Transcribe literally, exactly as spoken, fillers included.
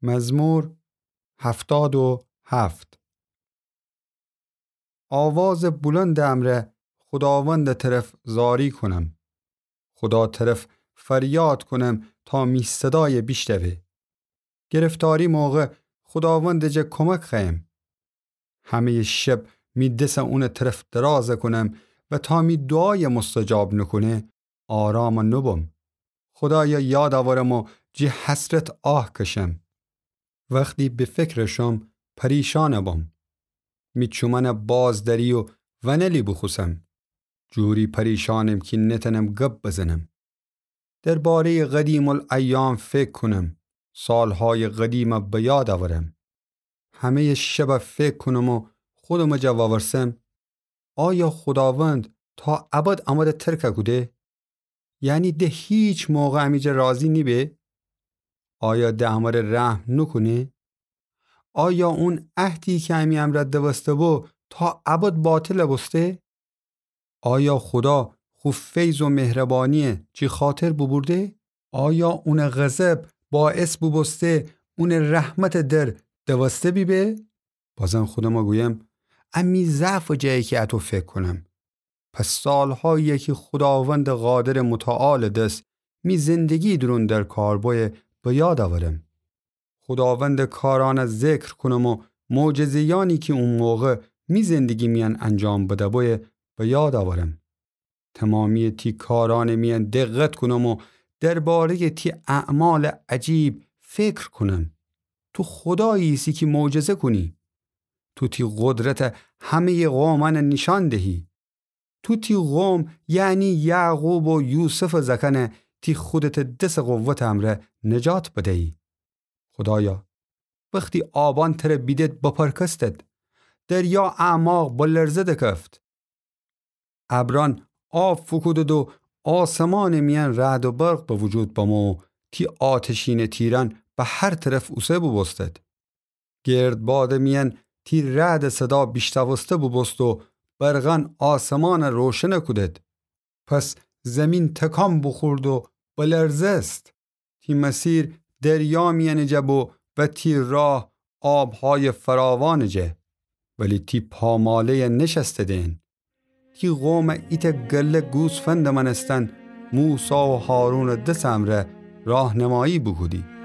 مزمور هفتاد و هفت. آوازٚ بلندٚ امرأ خوداوندٚ طرف زاری کونم. خودا طرف فریاد کونم تا می صدایَ بیشنوه. گرفتاری موقع خوداوندٚ جا کمک خوأیم. همه‌یٚ شب می دسَ اونٚ طرف دراز کونم و تا می دوعایَ مستجاب نوکونه، آرام نوبم. خودایَ یاد اورم و جٚه حسرت آه کشم. وختی به فکر شم، پریشان بم. می چومأنَ باز دری و ونلی بوخوسم. جوری پریشانم کی نتأنم گب بزنم. درباره‌یٚ قدیم‌الایام فکر کونم، سالهایٚ قدیمَ به یاد اورم. همه‌یٚ شبَ فکر کونم و خودمٚ جا وورسم: آیا خوداوند تا ابد امره ترک کوده؟ یعنی د هیچ موقع امی جا راضی نیبه؟ آیا د امره رحم نوکونه؟ آیا اون عهدی کی امی امرأ دوسته‌بو تا ابد باطل بوسته؟ آیا خودا خو فیض و مهربانیَ جی خاطر بوبورده؟ آیا اونٚ غضب باعث بوبوسته اونٚ رحمتٚ در دوسته بیبه؟ بازم خودمَ گویم: امی ضعفٚ جایه کی اطو فکر کونم. پس سالهایی‌یه کی خوداوندٚ قادرٚ متعالٚ دس می زندگی دورون در کار بویه به یاد اورم. خوداوندٚ کارأنَ ذکر کونم و معجزه‌یأنی کی او موقع می زندگی میأن انجام بده‌بویه به یاد اورم. تومامی‌یٚ تی کارأنٚ میأن دقت کونم و درباره‌یٚ تی اعمالٚ عجیب فکر کونم. تو خودایی ایسی کی معجزه کونی. تو تی قدرتَ همه‌یٚ قومأنَ نیشأن دهی. تو تی قوم، یعنی یعقوب و یوسفٚ زأکأنَ تی خودتٚ دسٚ قوتٚ امرأ نجات بدیی. خودایا، وختی آبأن تره بیدد بپرکستد، دریا اعماق به لرزه دکفت. ابرأن آب فوکودد و آسمانٚ میأن رعد و برق به وجود بمو و تی آتشینٚ تیرأن به هر طرف اوسه بوبوستد. گردبادٚ میأن تی رعدٚ صدا بیشنوسته بوبوست و برقأن آسمانَ روشن کودد. پس زیمین تکان بوخورد و بلرزست. تی مسیر دریا میأنٚ جا بو و تی راه آبهایٚ فراوانٚ جا. ولی تی پاماله‌یَ نشستده‌ن. تی قومَ ایتأ گله گوسفندٚ مأنستن موسی و هارونٚ دسٚ امرأ راهنمایی بوکودی.